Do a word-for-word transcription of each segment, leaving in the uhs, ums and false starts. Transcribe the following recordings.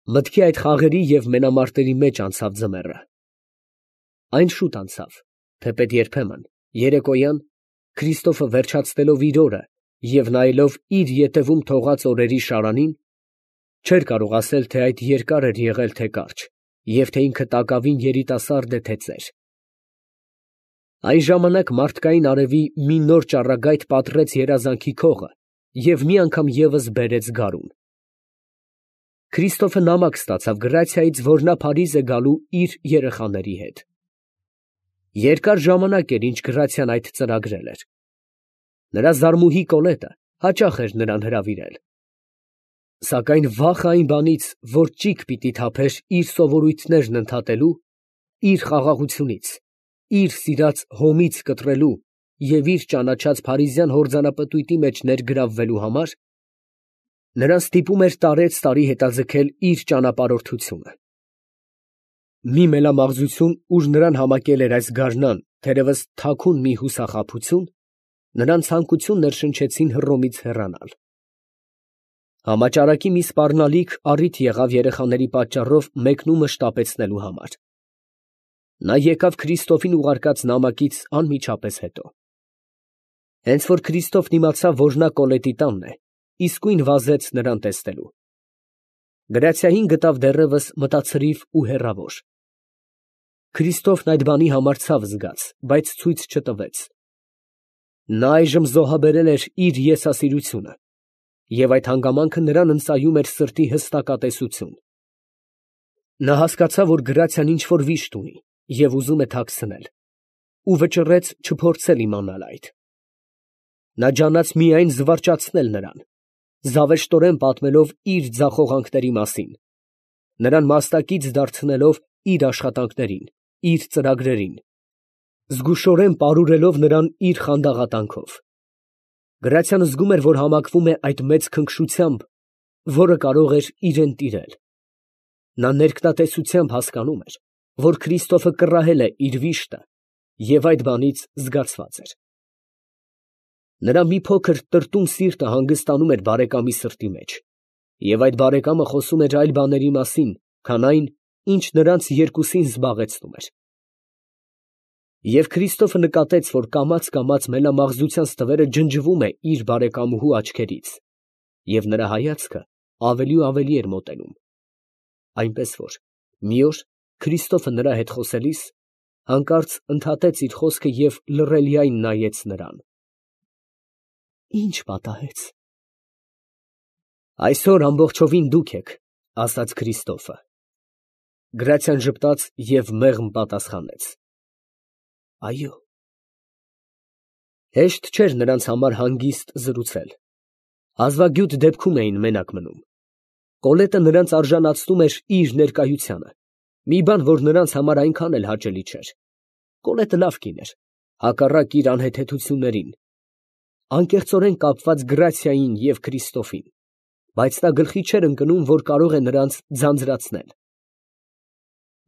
Մտքի այդ խաղերի և մենամարտերի մեջ անցավ ձմեռը։ Այն շուտ անցավ, թեպետ երբեմն, երեկոյան, Քրիստոֆը վերջացնելով իր օրը և նայելով իր ետևում թողած օրերի շարանին, չէր կարող ասել, թե այդ երկար էր եղել, թե կարճ, և թե ինքը տակավին երիտասարդ է, թե ծեր։ Այն ժամանակ մարդկային արևի մի նոր ճառագայթ պատռեց երազանքի քողը և մի անգամ ևս բերեց գարուն։ Քրիստոֆը նամակ ստացավ Գրացիայից, որ նա Փարիզ է գալու իր երեխաների հետ։ Երկար ժամանակ էր, ինչ Գրացիան այդ ծրագրել էր։ Նրա զարմուհի Կոլետը հաճախ էր նրան հրավիրել։ Սակայն վախը այն բանից, որ ճիգ պիտի թափեր իր սովորույթներն ընդհատելու, իր խաղաղությունից, իր սիրած հոմից կտրելու և իր ճանաչած փարիզյան հորձանապտույտի մեջ ներգրավվելու համար, նրան ստիպում էր տարեցտարի հետաձգել իր ճանապարհորդությունը։ Մի մելամաղձություն, ուր նրան համակել էր այս գարնան, թերևս թաքուն մի հուսախաբություն, նրան ցանկություն ներշնչեցին Հռոմից հեռանալ։ Համաճարակի մի սպառնալիք առիթ եղավ երեխաների պատճառով մեկնումը շտապեցնելու համար։ Նա եկավ Քրիստոֆին ուղարկած նամակից անմիջապես հետո։ Հենց որ Քրիստոֆն իմացավ, որ նա Կոլետի տանն է, իսկույն վազեց նրան տեսնելու։ Գրացիային գտավ դեռևս մտացրիվ ու հեռավոր։ Քրիստոֆն այդ բանի համար ցավ զգաց, բայց ցույց չտվեց։ Նա այժմ զոհաբերել էր իր եսասիրությունը, և այդ հանգամանքը նրան ընծայում էր սրտի հստակատեսություն։ Նա հասկացավ, որ Գրացիան ինչ֊որ վիշտ ունի և ուզում է թաքցնել, ու վճռեց չփորձել իմանալ այդ։ Նա ջանաց միայն զվարճացնել նրան, զավեշտորեն պատմելով իր ձախողանքների մասին, նրան մասնակից դարձնելով իր աշխատանքներին, իր ծրագրերին, զգուշորեն պարուրելով նրան իր խանդաղատանքով։ Գրացիան զգում էր, որ համակվում է այդ մեծ քնքշությամբ, որը կարող էր իրան տիրել։ Նա ներքնատեսությամբ հասկանում էր, որ Քրիստոֆը կռահել է իր վիշտը և այդ բանից զգացված էր։ Նրա մի փոքր տրտում սիրտը հանգստանում էր բարեկամի սրտի մեջ, և այդ բարեկամը խոսում էր այլ բաների մասին, քան այն, ինչ նրանց երկուսին զբաղեցնում էր։ Եվ Քրիստոֆը նկատեց, որ կամաց֊կամաց մելամաղձության ստվերը ջնջվում է իր բարեկամուհու աչքերից, և նրա հայացքը ավելի ու ավելի էր մոտենում, այնպես որ մի օր Քրիստոֆը նրա հետ խոսելիս հանկարծ ընդհատեց իր խոսքը և լռելիայն նայեց նրան։ Ի՞նչ պատահեց։ Այսօր ամբողջովին դուք եք, ֊ ասաց Քրիստոֆը։ Գրացիան ժպտաց և մեղմ պատասխանեց. Այո։ Հեշտ չէր նրանց համար հանգիստ զրուցել։ Հազվագյուտ դեպքում էին մենակ մնում։ Կոլետը նրանց արժանացնում էր իր ներկայությանը, մի բան, որ նրանց համար այնքան էլ հաճելի չէր։ Կոլետը լավ կին էր, հակառակ իր անհեթեթություններին, անկեղծորեն կապված Գրացիային և Քրիստոֆին, բայց նա գլխի չէր ընկնում, որ կարող է նրանց ձանձրացնել։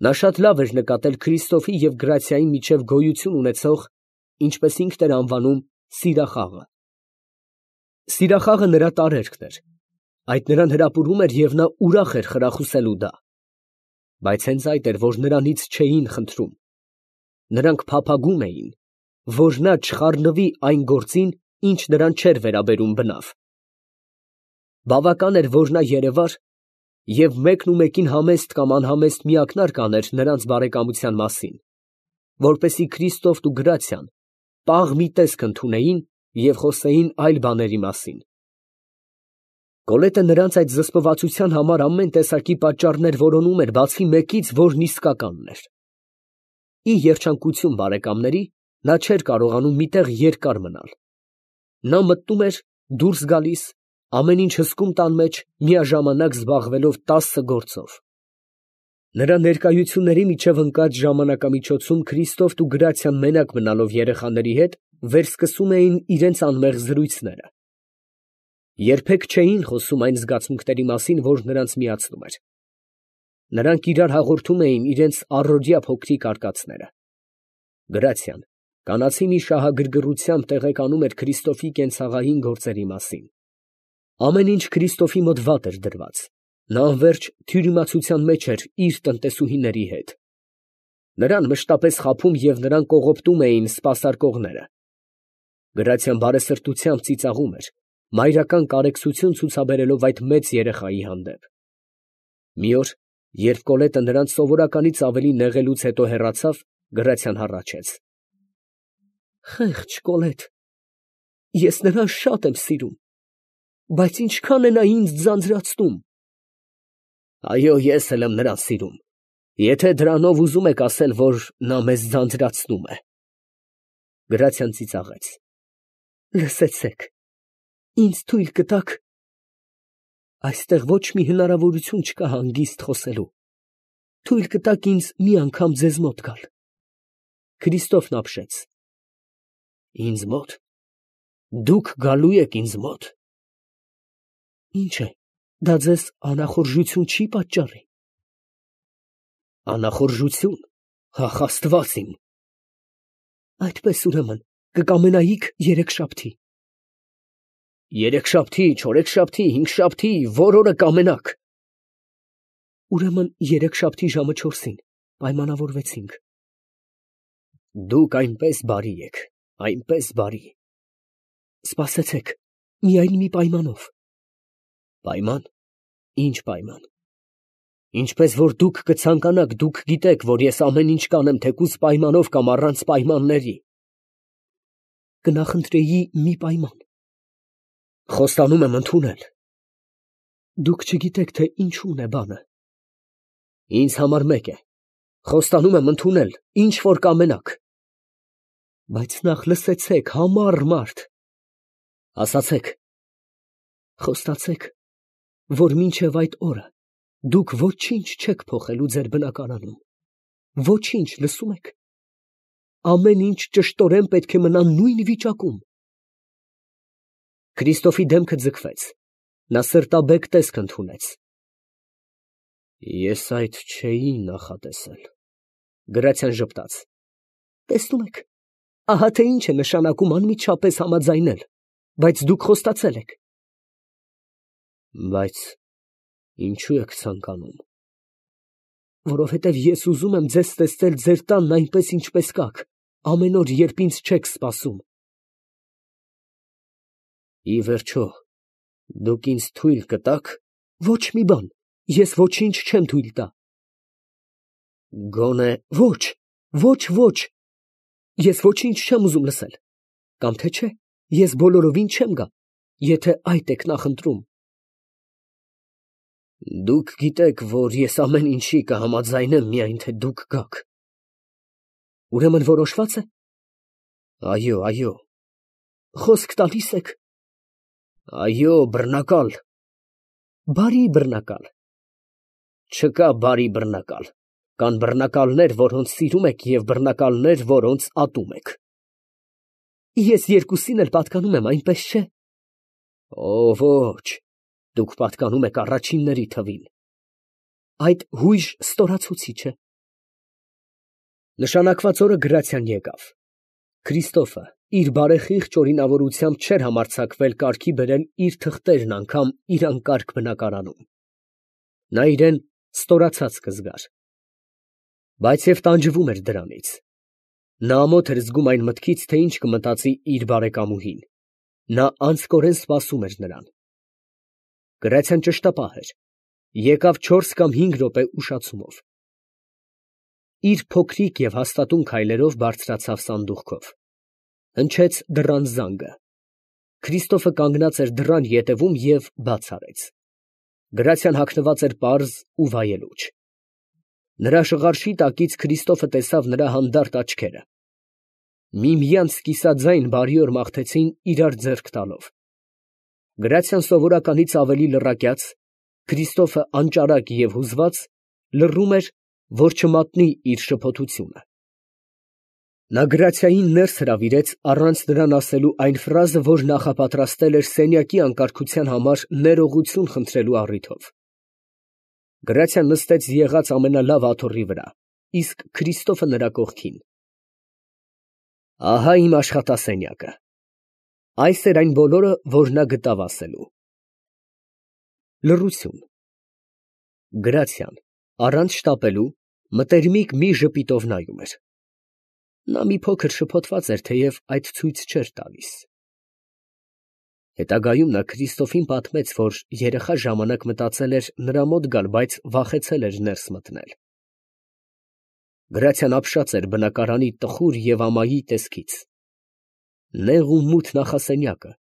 Նա շատ լավ էր նկատել Քրիստոֆի և Գրացիայի միջև գոյություն ունեցող, ինչպես ինքն էր անվանում, սիրախաղը։ Սիրախաղը նրա տարերքն էր, այդ նրան հրապուրում էր և նա ուրախ էր խրախուսելու դա։ Բայց հենց այդ էր, որ նրանից չէին խնդրում։ Նրանք փափագում էին, որ նա չխառնվի այն գործին, ինչ նրան չէր վերաբերում բնավ։ Բավական էր, որ նա երևար և մեկն ու մեկին համեստ կամ անհամեստ մի ակնարկ աներ նրանց բարեկամության մասին, որպեսզի Քրիստոֆն ու Գրացիան պաղ մի տեսք ընդունեին և խոսեին այլ բաների մասին։ Կոլետը նրանց այդ զսպվածության համար ամեն տեսակի պատճառներ որոնում էր, բացի մեկից, որն իսկականն էր։ Ի երջանկություն բարեկամների, նա չէր կարողանում մի տեղ երկար մնալ։ Նա մտնում էր, դուրս գալիս, ամեն ինչ հսկում տան մեջ, միաժամանակ զբաղվելով տասը գործով։ Նրա ներկայությունների միջև ընկած ժամանակամիջոցում Քրիստոֆն ու Գրացիան մենակ մնալով երեխաների հետ, վերսկսում էին իրենց անմեղ զրույցները։ Երբեք չէին խոսում այն զգացմունքների մասին, որ նրանց միացնում էր։ Նրանք իրար հաղորդում էին իրենց առօրյա փոքրիկ արկածները։ Գրացիան կանացի մի շահագրգռությամբ տեղեկանում էր Քրիստոֆի կենցաղային գործերի մասին։ Ամեն ինչ Քրիստոֆի մոտ վատ էր դրված, Նա անվերջ թյուրիմացության մեջ էր իր տնտեսուհիների հետ. նրան մշտապես խաբում և նրան կողոպտում էին սպասարկողները. Գրացիան բարեսրտությամբ ծիծաղում էր, մայրական կարեկցություն ցուցաբերելով այդ մեծ երեխայի հանդեպ։ Մի օր, երբ Կոլետը նրան սովորականից ավելի նեղելուց հետո հեռացավ, Գրացիան հառաչեց. «Խեղճ Կոլետ, ես նրան շատ եմ սիրում, բայց ինչքան է նա ինձ ձանձրացնում»։ Այո, ես էլ եմ նրան սիրում, եթե դրանով ուզում եք ասել, որ նա մեզ ձանձրացնում է։ Գրացիան ծիծաղեց. Լսեցեք, ինձ թույլ կտաք։ Այստեղ ոչ մի հնարավորություն չկա հանգիստ խոսելու։ Թույլ կտաք ինձ մի անգամ ձեզ մոտ գալ։ Քրիստոֆն ապշեց. Ինձ մոտ։ Դուք գալու եք ինձ մոտ։ Ինչ է, դա ձեզ անախորժություն չի պատճառի։ Անախորժություն, ախ Աստված իմ։ Այդպես ուրեմն կկամենայիք երեքշաբթի։ Երեքշաբթի, չորեքշաբթի, հինգշաբթի, որ օրը կամենաք։ Ուրեմն երեքշաբթի ժամը չորսին պայմանավորվեցինք։ Դուք այնպես բարի եք, այնպես բարի։ Սպասեցեք, միայն մի պայմանով։ Պայման։ Ինչ պայման։ Ինչպես որ դուք կցանկանաք, դուք գիտեք, որ ես ամեն ինչ կանեմ, թեկուզ պայմանով կամ առանց պայմանների։ Կնախընտրեի մի պայման։ Խոստանում եմ ընդունել։ Դուք չգիտեք, թե ինչու՞ն է բանը։ Ինձ համար մեկ է։ Խոստանում եմ ընդունել, ինչ որ կամենաք։ Բայց նախ լսեցեք, համառ մարդ։ Ասացեք։ Խոստացեք, որ մինչև այդ օրը դուք ոչինչ չեք փոխելու ձեր բնակարանում։ Ոչինչ, լսում եք։ Ամեն ինչ ճշտորեն պետք է մնա նույն վիճակում։ Քրիստոֆի դեմքը ձգվեց։ Նա սրտաբեկ տեսք ընդունեց։ Ես այդ չէի նախատեսել։ Գրացիան ժպտաց։ Տեսնում եք, ահա թե ինչ է նշանակում անմիջապես համաձայնել, բայց դուք խոստացել եք։ Բայց ինչու եք ցանկանում։ Որովհետև ես ուզում եմ ձեզ տեսնել ձեր տանն այնպես, ինչպես կաք, ամեն օր, երբ ինձ չեք սպասում։ Ի վերջո, դուք ինձ թույլ կտաք։ Ոչ մի բան, ես ոչինչ չեմ թույլ տա։ Գոնե ոչ, ոչ, ոչ, ես ոչինչ չեմ ուզում լսել։ Կամ թե չէ, ես բոլորովին չեմ գա, եթե այդ եք նախընտրում։ Դուք գիտեք, որ ես ամեն ինչի կհամաձայնեմ, միայն թե դուք գաք։ Ուրեմն որոշվա՞ծ է։ Այո, այո։ Խոսք տալի՞ս եք։ Այո, բռնակալ։ Բարի բռնակալ։ Չկա բարի բռնակալ։ Կան բռնակալներ, որոնց սիրում եք, և բռնակալներ, որոնց ատում եք։ Ես երկուսին էլ պատկանում եմ, այնպես չէ։ Օ, ոչ, դուք պատկանում եք առաջինների թվին։ Այդ հույժ ստորացուցիչ է։ Նշանակված օրը Գրացիան եկավ։ Քրիստոֆը իր բարեխիղճ օրինավորությամբ չէր համարձակվել կարգի բերել իր թղթերն անգամ իր անկարգ բնակարանում։ Նա իրեն ստորացած կզգար։ Բայց և տանջվում էր դրանից։ Նա ամոթ էր զգում այն մտքից, թե ինչ կմտածի իր բարեկամուհին։ Նա անձկորեն սպասում էր նրան։ Գրացիան ճշտապահ էր։ Եկավ չորս կամ հինգ րոպե ուշացումով։ Իր փոքրիկ և հաստատուն քայլերով բարձրացավ սանդուղքով։ Հնչեց դռան զանգը։ Քրիստոֆը կանգնած էր դռան ետևում և բաց արեց։ Գրացիան հագնված էր պարզ ու վայելուչ։ Նրա շղարշի տակից Քրիստոֆը տեսավ նրա հանդարտ աչքերը։ Միմյանց կիսաձայն բարիօր մաղթեցին իրար ձեռք տալով։ Գրացիան սովորականից ավելի լռակյաց, Քրիստոֆը անճարակ և հուզված, լռում էր, որ չմատնի իր շփոթությունը։ Նա Գրացիային ներս հրավիրեց առանց նրան ասելու այն ֆրազը, որ նախապատրաստել էր սենյակի անկարգության համար ներողություն խնդրելու առիթով։ Գրացիան նստեց եղած ամենալավ աթոռի վրա, իսկ Քրիստոֆը նրա կողքին։ Ահա իմ աշխատասենյակը։ Այս էր այն բոլորը, որ նա գտավ ասելու։ Լռություն։ Գրացիան, առանց շտապելու, մտերմիկ մի ժպիտով նայում էր։ Նա մի փոքր շփոթված էր, թեև այդ ցույց չէր տալիս։ Հետագայում նա Քրիստոֆին պատմեց, որ երեխա ժամանակ մտածել էր նրա մոտ գալ, բայց վախեցել էր ներս մտնել։ Գրացիան ապշած էր բնակարանի տխուր և ամայի տեսքից։ Նեղ ու մութ նախասենյակը,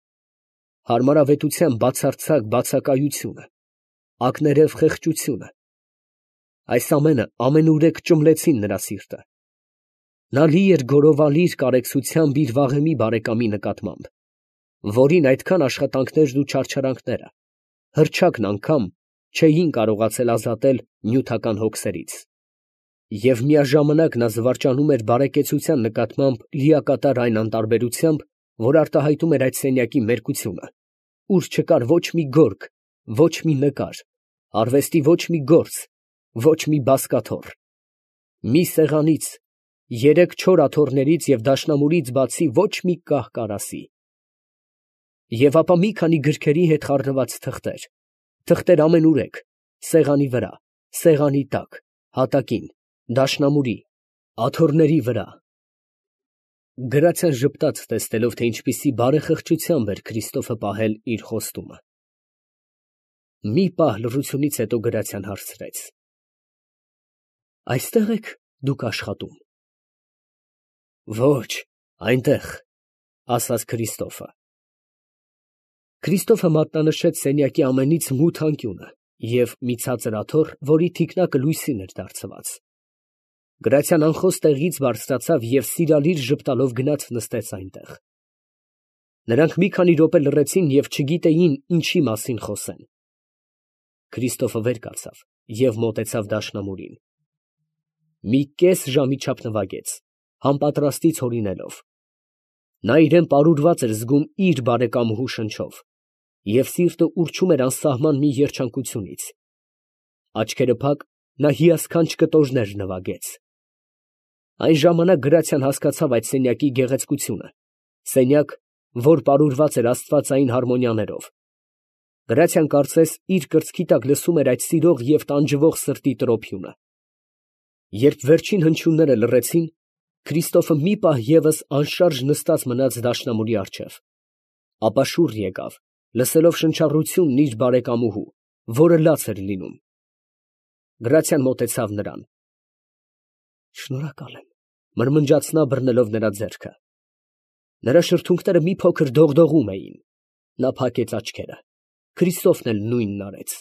հարմարավետության բացարձակ բացակայությունը, ակներև խեղճությունը, այս ամենը ամենուրեք ճմլեցին նրա սիրտը։ Նա լի էր գորովալիր կարեկցությամբ իր վաղեմի բարեկամի նկատմամբ, որին այդքան աշխատանքներն ու չարչարանքները, հռչակն անգամ չէին կարողացել ազատել նյութական հոգսերից։ Եվ միաժամանակ նա զվարճանում էր բարեկեցության նկատմամբ լիակատար այն անտարբերությամբ, որ արտահայտում էր այդ սենյակի մերկությունը, ուր չկար ոչ մի գորգ, ոչ մի նկար, արվեստի ոչ մի գործ, ոչ մի բազկաթոռ։ Մի սեղանից, երեք չոր աթոռներից և դաշնամուրից բացի ոչ մի կահ֊կարասի։ Եվ ապա մի քանի գրքերի հետ խառնված թղթեր, թղթեր ամենուրեք, սեղանի վրա, սեղանի տակ, հատակին, դաշնամուրի, աթոռների վրա։ Գրացիան ժպտաց, տեսնելով, թե ինչպիսի բարեխղճությամբ էր Քրիստոֆը պահել իր խոստումը։ Մի պահ լռությունից հետո Գրացիան հարցրեց. «Այստե՞ղ եք դուք աշխատում»։ «Ոչ, այնտեղ», ասաց Քրիստոֆը։ Քրիստոֆը մատնանշեց սենյակի ամենից մութ անկյունը և մի ցածր աթոռ, որի թիկնակը լույսին էր դարձված։ Գրացիան անխոս տեղից բարձրացավ և սիրալիր ժպտալով գնաց նստեց այնտեղ։ Նրանք մի քանի րոպե լռեցին և չգիտեին ինչի մասին խոսեն։ Քրիստոֆը վեր կացավ և մոտեցավ դաշնամուրին։ Մի կես ժամի չափ նվագեց, համապատրաստից հորինելով։ Նա իրան պարուրված էր զգում իր բարեկամուհու շնչով, և սիրտը ուռչում էր անսահման մի երջանկությունից։ Աչքերը փակ, նա հիասքանչ կտորներ նվագեց։ Այն ժամանակ Գրացիան հասկացավ այդ սենյակի գեղեցկությունը, սենյակ, որ պարուրված էր աստվածային հարմոնիաներով։ Գրացիան կարծես իր կրծքի տակ լսում էր այդ սիրող և տանջվող սրտի տրոփյունը։ Երբ վերջին հնչյունները լռեցին, Քրիստոֆը մի պահ ևս անշարժ նստած մնաց դաշնամուրի առջև, ապա շուռ եկավ, լսելով շնչառությունն իր բարեկամուհու, որը լաց էր լինում։ Գրացիան մոտեցավ նրան։ «Շնորհակալ եմ», մրմնջաց նա, բռնելով նրա ձեռքը։ Նրա շրթունքները մի փոքր դողդողում էին։ Նա փակեց աչքերը։ Քրիստոֆն էլ նույնն արեց։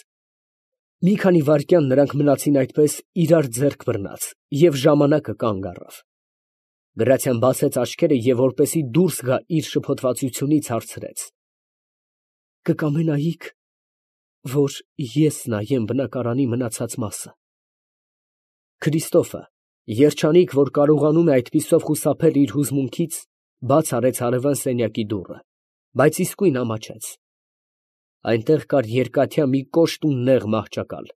Մի քանի վայրկյան նրանք մնացին այդպես իրար ձեռք բռնած, և ժամանակը կանգ առավ։ Գրացիան բացեց աչքերը և որպեսզի դուրս գա իր շփոթվածությունից, հարցրեց. «Կկամենայի՞ք, որ ես նայեմ բնակարանի մնացած մասը»։ Քրիստոֆը, երջանիկ, որ կարողանում է այդպիսով խուսափել իր հուզմունքից, բաց արեց հարևան սենյակի դուռը, բայց իսկույն ամաչեց։ Այնտեղ կար երկաթյա մի կոշտ ու նեղ մահճակալ։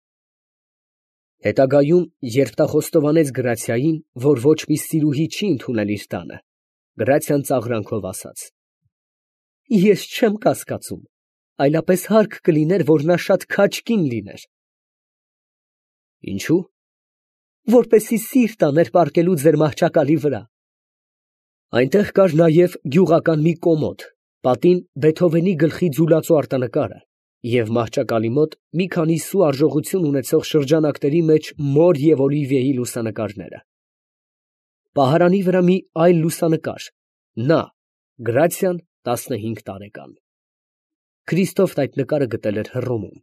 Հետագայում, երբ նա խոստովանեց Գրացիային, որ ոչ մի սիրուհի չի ընդունել իր տանը, Գրացիան ծաղրանքով ասաց. «Ես չեմ կասկածում, այլապես հարկ կլիներ, որ նա շատ քաջ կին լիներ»։ Ինչո՞ւ։ «Որպեսզի սիրտ աներ պառկելու ձեր մահճակալի վրա»։ Այնտեղ կար նաև գյուղական մի կոմոդ, պատին Բեթհովենի գլխի ձուլածու արտանկարը և մահճակալի մոտ մի քանի սու արժողություն ունեցող շրջանակների մեջ մոր և Օլիվիեի լուսանկարները։ Պահարանի վրա մի այլ լուսանկար, նա՝ Գրացիան, տասնհինգ տարեկան։ Քրիստոֆն այդ նկարը գտել էր Հռոմում,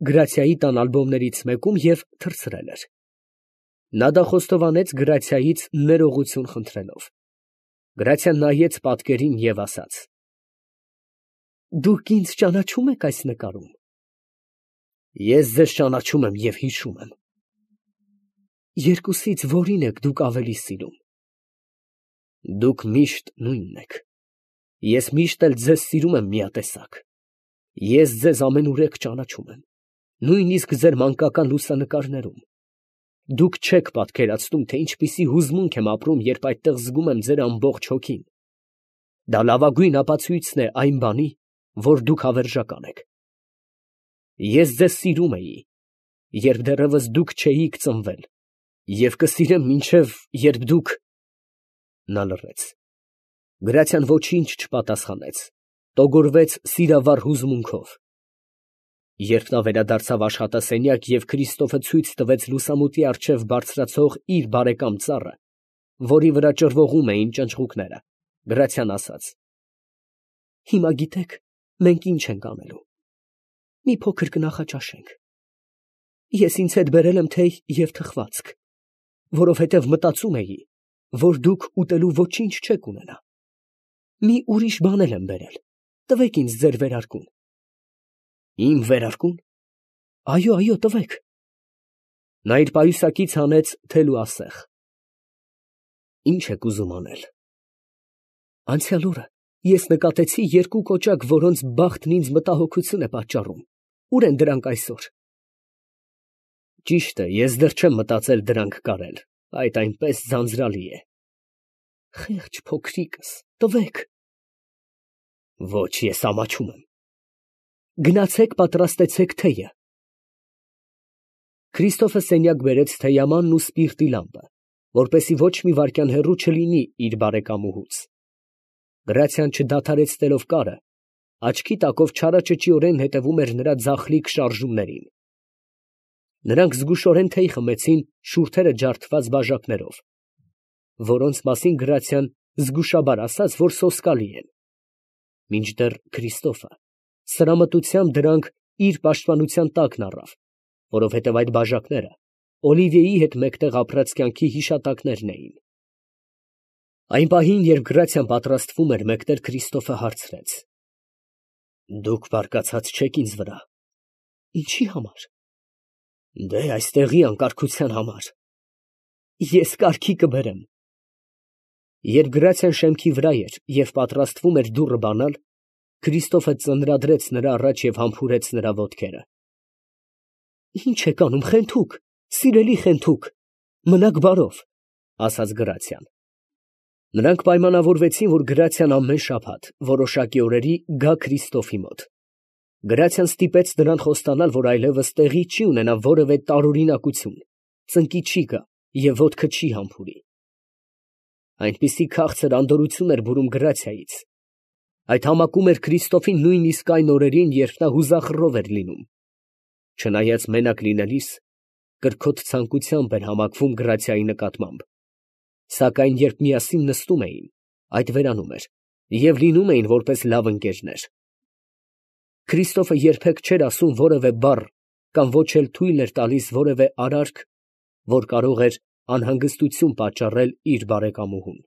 Գրացիայի տան ալբոմներից մեկում և թռցրել էր։ Նա դա խոստովանեց Գրացիայից ներողություն խնդրելով։ Գրացիան նայեց պատկերին և ասաց. «Դուք ինձ ճանաչո՞ւմ եք այս նկարում»։ «Ես ձեզ ճանաչում եմ և հիշում եմ»։ «Երկուսից որի՞ն եք դուք ավելի սիրում»։ «Դուք միշտ նույնն եք։ Ես միշտ էլ ձեզ սիրում եմ միատեսակ։ Ես ձեզ ամենուրեք ճանաչում եմ, նույնիսկ ձեր մանկական լուսանկարներում։ Դուք չեք պատկերացնում, թե ինչպիսի հուզմունք եմ ապրում, երբ այդտեղ զգում եմ ձեր ամբողջ հոգին։ Դա լավագույն ապացույցն է այն բանի, որ դուք հավերժական եք։ Ես ձեզ սիրում էի, երբ դեռևս դուք չէիք ծնվել, և կսիրեմ մինչև երբ դուք… Նա լռեց. Գրացիան ոչինչ չպատասխանեց, տոգորվեց սիրավառ հուզմունքով։ Երբ նա վերադարձավ աշխատասենյակ և Քրիստոֆը ցույց տվեց լուսամուտի առջև բարձրացող իր բարեկամ ծառը, որի վրա ճռվողում էին ճնճղուկները, Գրացիան ասաց. «Հիմա գիտեք, մենք ինչ ենք անելու. մի փոքր կնախաճաշենք. ես ինձ հետ բերել եմ թեյ և թխվածք, որովհետև մտածում էի, որ դուք ուտելու ոչինչ չեք ունենա. մի ուրիշ բան էլ եմ բերել, տվեք ինձ ձեր վերարկուն»։ Իմ վերարկո՞ւն։ Այո, այո, տվեք։ Նա իր պայուսակից հանեց թել ու ասեղ։ Ինչ եք ուզում անել։ Անցյալ օրը ես նկատեցի երկու կոճակ, որոնց բախտն ինձ մտահոգություն է պատճառում։ Ուր են դրանք այսօր։ Ճիշտ է, ես դեռ չեմ մտածել դրանք կարել, այդ այնպես ձանձրալի է։ Խեղճ փոքրիկս, տվեք։ Ոչ, ես ամաչում եմ։ Գնացեք պատրաստեցեք թեյը։ Քրիստոֆը սենյակ բերեց թեյամանն ու սպիրտի լամպը, որպեսզի ոչ մի վայրկյան հեռու չլինի իր բարեկամուհուց։ Գրացիան չդադարեցնելով կարը, աչքի տակով չարաճճիորեն հետևում էր նրա ձախլիկ շարժումներին։ Նրանք զգուշորեն թեյ խմեցին շուրթերը ջարդված բաժակներով, որոնց մասին Գրացիան զգուշաբար ասաց, որ սոսկալի են, մինչդեռ Քրիստոֆը սրամտությամբ դրանք իր պաշտպանության տակն առավ, որովհետև այդ բաժակները Օլիվիեի հետ մեկտեղ ապրած կյանքի հիշատակներն էին։ Այն պահին, երբ Գրացիան պատրաստվում էր մեկնել, Քրիստոֆը հարցրեց. Դուք բարկացած չեք ինձ վրա։ Ինչի համար։ Դե այստեղի անկարգության համար։ Ես կարգի կբերեմ։ Երբ Գրացիան շեմքի վրա էր և պատրաստվում էր դուռը բանալ, Քրիստոֆը ծնրադրեց նրա առաջ և համբուրեց նրա ոտքերը։ Ինչ եք անում, խենթուկ, սիրելի խենթուկ, մնաք բարով, ասաց Գրացիան։ Նրանք պայմանավորվեցին, որ Գրացիան ամեն շաբաթ որոշակի օրերի գա Քրիստոֆի մոտ։ Գրացիան ստիպեց նրան խոստանալ, որ այլևս տեղի չի ունենա որևէ տարօրինակություն, ծնկի չի գա և ոտքը չի համբուրի։ Այնպիսի քաղցր անդորրություն էր բուրում Գրացիայից։ Այդ համակում էր Քրիստոֆին նույնիսկ այն օրերին, երբ նա հուզախռով էր լինում։ Չնայած մենակ լինելիս, կրքոտ ցանկությամբ էր համակվում Գրացիայի նկատմամբ։ Սակայն երբ միասին նստում էին, այդ վերանում էր և լինում էին որպես լավ ընկերներ։ Քրիստոֆը երբեք չէր ասում որևէ բառ կամ ոչ էլ թույլ էր տալիս որևէ արարք, որ կարող էր անհանգստություն պատճառել իր բարեկամուհուն։